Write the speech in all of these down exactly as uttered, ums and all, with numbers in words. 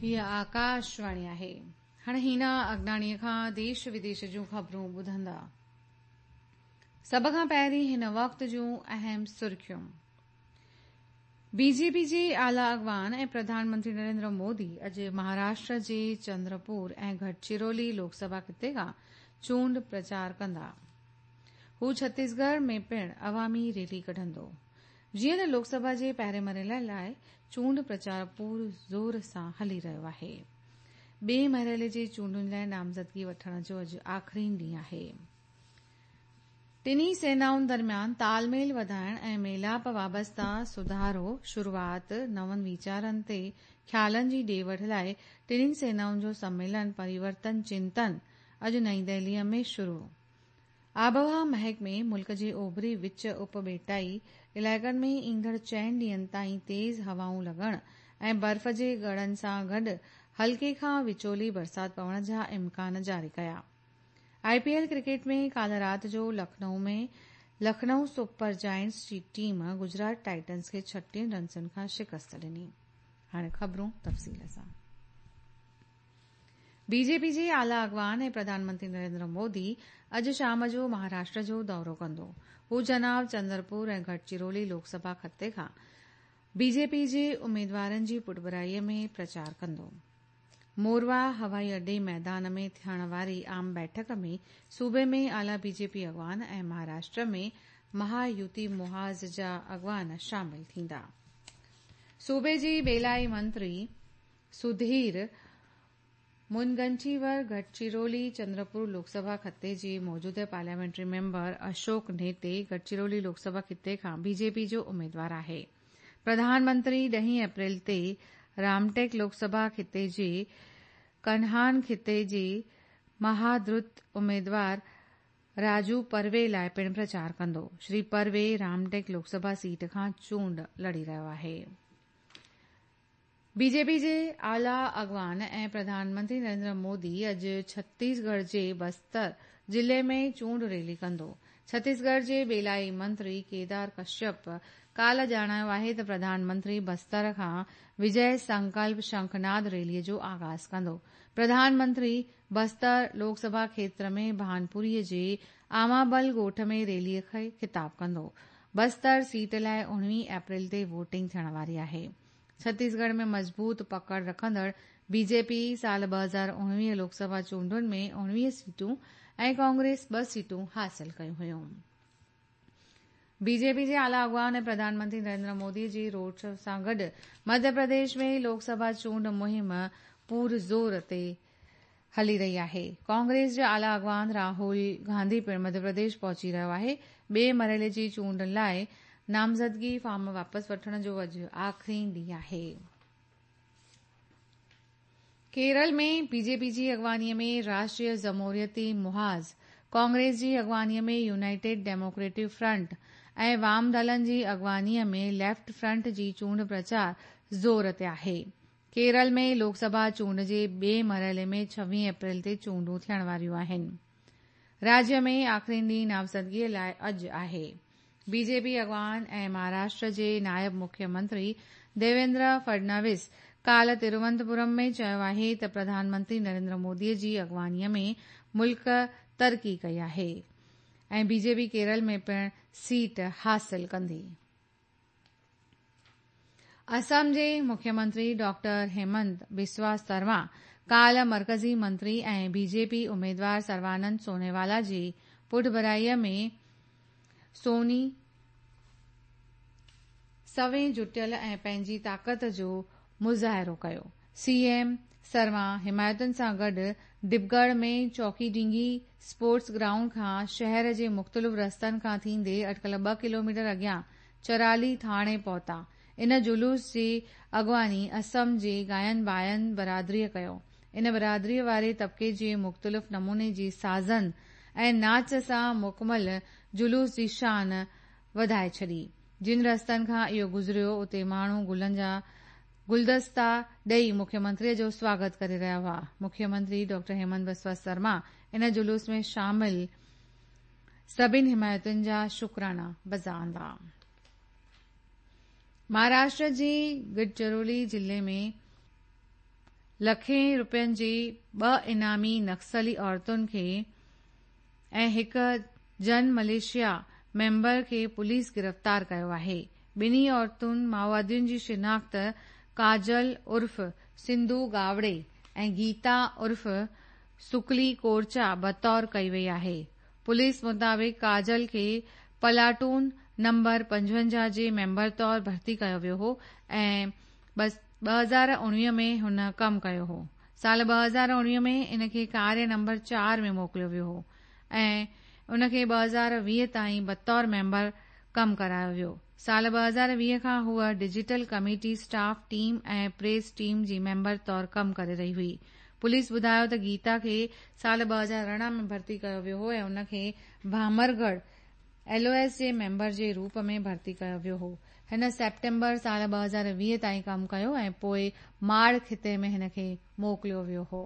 हीअ आकाशवाणी आहे। हाणे हीना अगनाणीअ खां देश विदेश जूं ख़बरूं ॿुधंदा। सभ खां पहिरीं हिन वक़्त जूं अहम सुर्खियूं। बीजेपी जे आला अॻवान ऐं प्रधानमंत्री नरेंद्र मोदी अॼु महाराष्ट्र जे चंद्रपुर ऐं गढ़चिरौली लोकसभा खिते खां चूंड प्रचार कंदा। हू छत्तीसगढ़ में पिणु अवामी रैली कढंदो। जीअं त लोकसभा जे पहिरें मरहले लाइ चूंड प्रचार पूर ज़ोर सां हली रहियो आहे। ॿिए मरहले जे चूंडुनि लाइ नामज़दगी वठण जो अॼु आख़िरी ॾींहुं आहे। टिन्ही सेनाउनि दरमियान तालमेल वधाइण ऐं मेलाप वाबस्ता सुधारो शुरूआत नवनि वीचारनि ते ख़्यालनि जी ॾे वठ लाइ टिन्ही सेनाउनि जो सम्मेलन परिवर्तन चिंतन अॼु नई दिल्लीअ में शुरू। आबहवा महकमे मुल्क जे ओभरी विच उपॿेटाई इलाइक़नि में ईंदड़ चइनि ॾींहंनि ताईं तेज़ हवाऊं लॻण ऐं बर्फ़ जे ॻड़नि सां गॾु हल्के खां विचोली बरसाति पवण जा इम्कान जारी कया। आईपीएल क्रिकेट में काल्ह राति जो लखनऊ में लखनऊ सुपर जायंट्स जी टीम गुजरात टाइटंस खे छटीह रन्सुनि खां शिकस्त ॾिनी। हाणे ख़बरूं तफ़सील सां। बीजेपी जे आला अॻवान ऐं प्रधानमंत्री नरेंद्र मोदी अॼु शाम जो महाराष्ट्र जो दौरो कंदो। हू जनाब चंद्रपुर ऐं गढ़चिरौली लोकसभा खिते खां बीजेपी जे उमेदवारनि जी पुठभराईअ में प्रचार कंदो। मोरवा हवाई अॾे मैदान में थियण वारी आम बैठक में सूबे में आला बीजेपी अॻवान ऐं महाराष्ट्र में महायुति मुहाज़ जा अॻवान शामिल थींदा। सूबे जे ॿेलाई मंत्री सुधीर मुनगंटीवार गढ़चिरौली चंद्रपुर लोकसभा खिते जे मौजूदा पार्लियामेंट्री मेंबर अशोक नेते गढ़चिरौली लोकसभा खिते खां बीजेपी जो उमेदवार आहे। प्रधानमंत्री ॾहीं अप्रैल ते रामटेक लोकसभा खिते जे कन्हान खिते जे महाद्रुत उमेदवार राजू परवे लाइ पिणु प्रचार कंदो। श्री परवे रामटेक लोकसभा सीट खां चूंड लड़ी रहियो आहे। बीजेपी जे आला अॻवान ऐं प्रधानमंत्री नरेंद्र मोदी अॼु छत्तीसगढ़ जे बस्तर ज़िले में चूंड रैली कंदो। छत्तीसगढ़ जे ॿेलाई मंत्री केदार कश्यप काल्ह ॼाणायो आहे त प्रधानमंत्री बस्तर खां विजय संकल्प शंखनाद रैलीअ जो आग़ाज़ कंदो। प्रधानमंत्री बस्तर लोकसभा क्षेत्र में भानपुरीअ जे आमाबल ॻोठ में रैलीअ खे ख़िताब कंदो। बस्तर सीट लाइ उणिवीह अप्रैल ते वोटिंग थियण वारी आहे। छत्तीसगढ़ में मज़बूत पकड़ रखंदड़ बीजेपी साल ॿ हज़ार उणिवीह लोकसभा चूंडुनि में उणिवीह सीटूं ऐं कांग्रेस ॿ सीटूं हासिल कयूं हुयूं। बीजेपी जे आला अॻवान ऐं प्रधानमंत्री नरेंद्र मोदी जी रोड शो सां गॾु मध्य प्रदेश में लोकसभा चूंड मुहिम पूर ज़ोर ते हली रही आहे। कांग्रेस जो आला अॻवान राहुल गांधी पिणु मध्य प्रदेश पहुची रहियो आहे। ॿिए मरहले जी चूंड लाइ नामज़दगी फॉर्म वापसि वठण जो अॼु आख़िरी ॾींहुं आहे। केरल में बीजेपी जी अॻवानीअ में राष्ट्रीय जमहूरियती मुहाज़, कांग्रेस जी अॻवानीअ में यूनाइटेड डेमोक्रेटिक फ्रंट ऐं वाम दलनि जी अॻवानीअ में लेफ्ट फ्रंट जी चूंड प्रचार ज़ोर ते आहे। केरल में लोकसभा चूंड जे ॿिए मरहले में छवीह अप्रैल ते चूंडूं थियण वारियूं आहिनि। राज्य में आख़िरी ॾींहुं नामज़दगीअ लाइ अॼु आहे। बीजेपी अॻवान ऐं महाराष्ट्र जे नायब मुख्यमंत्री देवेंद्र फडणवीस काल्ह तिरुवनंतपुरम में चयो आहे त प्रधानमंत्री नरेंद्र मोदीअ जी अॻवानीअ में मुल्क तरक़ी कई आहे ऐं बीजेपी केरल में पिणु सीट हासिल कंदी। असम जे मुख्यमंत्री डॉक्टर हेमंत बिस्वा शर्मा काल्ह मर्कज़ी मंत्री ऐं बीजेपी उमेदवार सर्वानंद सोनोवाला जी पुठभराईअ में सोनी सवें जुटियल ऐं पंहिंजी ताक़त जो मुज़ाहिरो कयो। सीएम शर्मा हिमायतुनि सां गॾु डिबगढ़ में चौकीडींगी स्पोर्ट्स ग्राउंड खां शहर जे मुख़्तलिफ़ रस्तनि खां थींदे अटकल ॿ किलोमीटर अॻियां चराली थाणे पहुता। इन जुलूस जी अॻवानी असम जे गायन बायन बरादरीअ कयो। इन बरादरीअ वारे तबिके जे मुख़्तलिफ़ नमूने जी साज़नि ऐं नाच सां मुकमल जुलूस जी शान वधाए छॾी। जिन रस्तनि खां इहो गुज़रियो उते माण्हू गुलनि जा गुलदस्ता ॾेई मुख्यमंत्रीअ जो स्वागत करे रहिया हुआ। मुख्यमंत्री डॉक्टर हेमंत बिस्वा शर्मा इन जुलूस में शामिल सभिनी हिमायतुनि जा शुक्राना बजा आंदा। महाराष्ट्र जे गढ़चिरौली ज़िले में لکين रुपين جي ٻه انعامي نڪسلي عورتن کي ۽ هڪ جن مليشيا ميمبر کي پوليس گرفتار ڪيو آهي. ٻنهي عورتن مائووادين جي شناخت ڪاجل عرف سنڌو گاوڙي ۽ گيتا عرف سڪلي ڪورچا بطور ڪئي وئي آهي. پوليس مطابق ڪاجل کي پلاٽون نمبر پنجونجاهه جي ميمبر طور ڀرتي ڪيو ويو هو ۽ ٻه هزار اڻويهه ۾ هن ڪم ڪيو هو. سال ٻه هزار اڻويهه ۾ ان کي ڪاريه نمبر چار ۾ موڪليو ويو هو ۽ ان کي ٻه هزار ويهه تائين بطور ميمبر ڪم ڪرايو ويو. سال ٻه هزار ويهه کان هوء digital committee staff team ۽ press team جي ميمبر طور ڪم ڪري رهي هئي. پوليس ٻڌايو ته گيتا کي سال ٻه هزار ارڙهن ۾ ڀرتي ڪيو ويو هو ۽ ان کي ڀامرڳڙهه ايل او ايس جي ميمبر جي روپ ۾ ڀرتي ڪيو ويو هو. هن سيپٽمبر سال ٻه هزار ويهه تائين ڪم ڪيو ۽ پوءِ ماڙ خطي ۾ هن کي موڪليو ويو هو.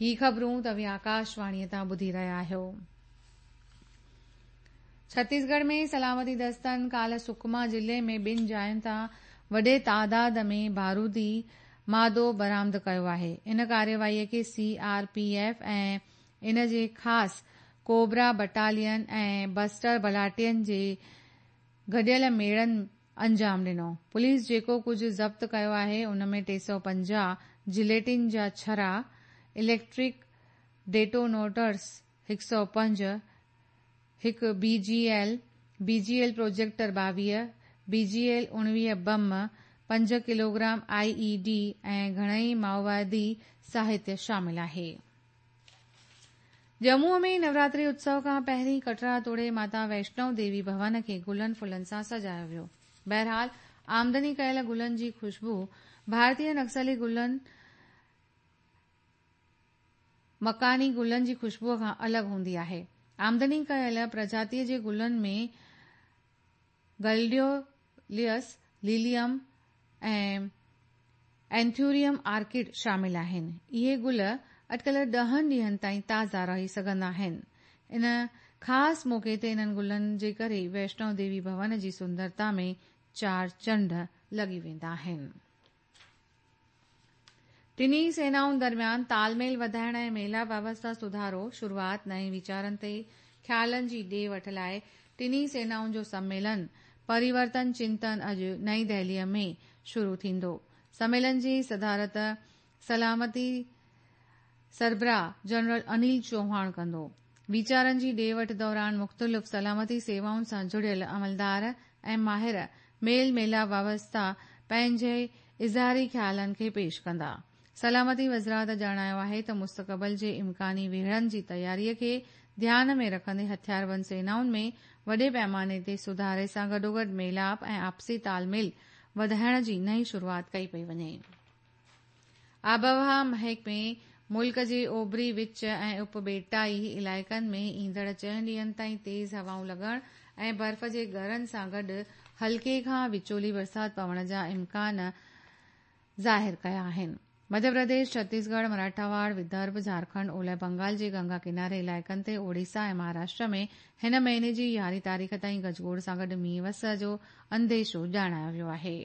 هي خبرون توهين آڪاشواڻيء تان ٻڌي رهيا آهيو. ڇتيسڳڙهه ۾ سلامتي دستن ڪالهه سڪما ضلعي ۾ ٻن جاين تان وڏي تعداد ۾ بارودي مادو برآمد ڪيو آهي. ان ڪارروائيء کي سي آر پي ايف ۽ ان جي خاص ڪوبرا بٽالين ۽ بسٽر بلاٽين جي گڏيل ميڙن انجام ڏنو. پوليس جيڪو ڪجهه ضبط ڪيو آهي ان ۾ ٽي سؤ پنجاهه جليٽن جا ڇرا، اليڪٽرڪ ڊيٽونوٽرس هڪ سؤ پنج، هڪ B G L, B G L projector ٻاويهه، بي جي ايل اڻويهه بم، پنج ڪلوگرام I A D ۽ گهڻئي مائووادي ساهتيه شامل آهي. ڄمون ۾ نوراتري اتسو کان پهرين ڪٽرا توڙي ماتا ويشنو ديوي ڀون کي گلن ڦلن سان سجايو ويو. بهرحال آمدني ڪيل گلن جي خوشبو ڀارتيه نڪسلي گلن مڪاني گلن جي خوشبوء کان الڳ هوندي آهي. آمدني ڪيل پرجاتيء جي گلن ۾ گلڊيوليس، ليليم ۽ اينٿيوريم آرڪڊ شامل آهن. اهي گل اٽڪل ڏهن ڏينهن تائين تازا رهي سگهندا آهن. ان خاص موقعي تي انهن گلن جي ڪري ويشنو ديوي ڀون جي سندرتا ۾ چار چنڊ لڳي ويندا آهن. ٽنهي سينائن درميان تال ميل وڌائڻ ۽ ميلاپ ويوسٿا سڌارو شروعات نئين ويچارن تي خيالن جي ڏي وٺ لاءِ ٽنهي سينائن جو سميلن پريورتن چنتن اڄ نئين دهليءَ ۾ شروع ٿيندو. سميلن جي صدارت سلامتي سربراهه جنرل انيل چوهاڻ ڪندو. ويچارن جي ڏي وٺ دوران مختلف سلامتي سيوائن سان جڙيل عملدار ۽ ماهر ميل ميلاپ ويوسٿا پنهنجي اظهاري خيالن کي پيش ڪندا. سلامتي وزارت ڄاڻايو آهي ته مستقبل جي امڪاني ويڙهن جي تياريءَ کي ڌيان ۾ رکندي هٿياربند سينائن ۾ وڏي پيماني تي سڌاري سان گڏوگڏ ميلاپ ۽ آپسي تال ميل وڌائڻ جي نئين شروعات ڪئي پئي وڃي. آبهوا محڪمي ملڪ جي اوڀري وچ ۽ اپٻيٽائي علائقن ۾ ايندڙ چئن ڏينهن تائين تيز هوائون لڳڻ ۽ برف جي ڳرن سان گڏ هلڪي کان وچولي برسات پوڻ جا امڪان ظاهر ڪيا آهن. مڌيه پرديش، ڇتيسڳڙهه، مراٺاواڙ، ودرڀ، جهارکنڊ، اولهه بنگال جي گنگا ڪناري علائقن تي اوڙيسا ۽ مهاراشٽر ۾ هن مهيني جي يارهين تاريخ تائين گجگوڙ سان گڏ مينهن وس جو انديشو ڄاڻايو ويو آهي.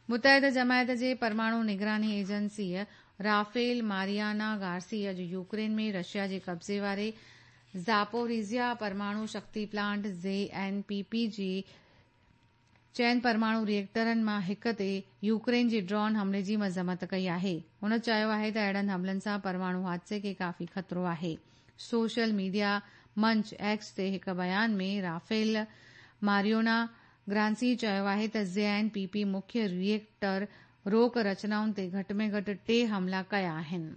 متحده جماعت جي پرماڻو نگراني ايجنسيء رافيل ماريانا گارسي اڄ يوڪرين ۾ رشيا جي قبضي واري زاپوريزيا پرماڻو شڪتي plant Z N P P جي چئن پرماڻو ريئيڪٽرن مان هڪ تي يوڪرين جي ڊرون حملي جي مذمت ڪئي آهي. هن چيو آهي ته اهڙن حملن سان پرماڻو حادثي کي ڪافي خطرو آهي. سوشل ميڊيا منچ ايڪس تي هڪ بيان ۾ رافيل ماريونا گرانسي چيو آهي ته زي اين پي پي مکيه ريئيڪٽر روڪ رچنائن تي گهٽ ۾ گهٽ ٽي حملا ڪيا آهن.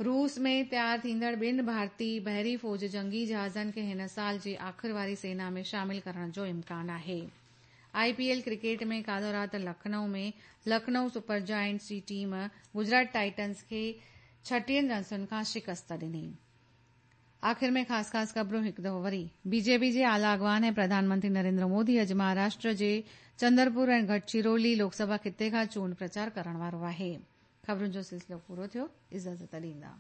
روس ۾ تيار ٿيندڙ ٻن ڀارتي بحري فوج جنگي جهازن کي هن سال جي آخر واري سينا ۾ شامل ڪرڻ جو امڪان آهي. آءِ پي ايل ڪرڪيٽ ۾ ڪالهه رات لکنؤ ۾ لکنؤ سپر جائنٽس جي ٽيم گجرات ٽائٽنز کي ڇٽيهن رنسن کان شڪست ڏني. آخر ۾ خاص خاص خبرون هڪ دفعو وري. بي جي پي جي اعليٰ اڳواڻ ۽ پرڌان منتري نريندر مودي اڄ مهاراشٽر جي چندرپور ۽ گڙچرولي لوڪسڀا خطي کان چونڊ پرچار ڪرڻ وارو آهي. خبرن جو سلسلو پورو ٿيو. اجازت ڏيندا.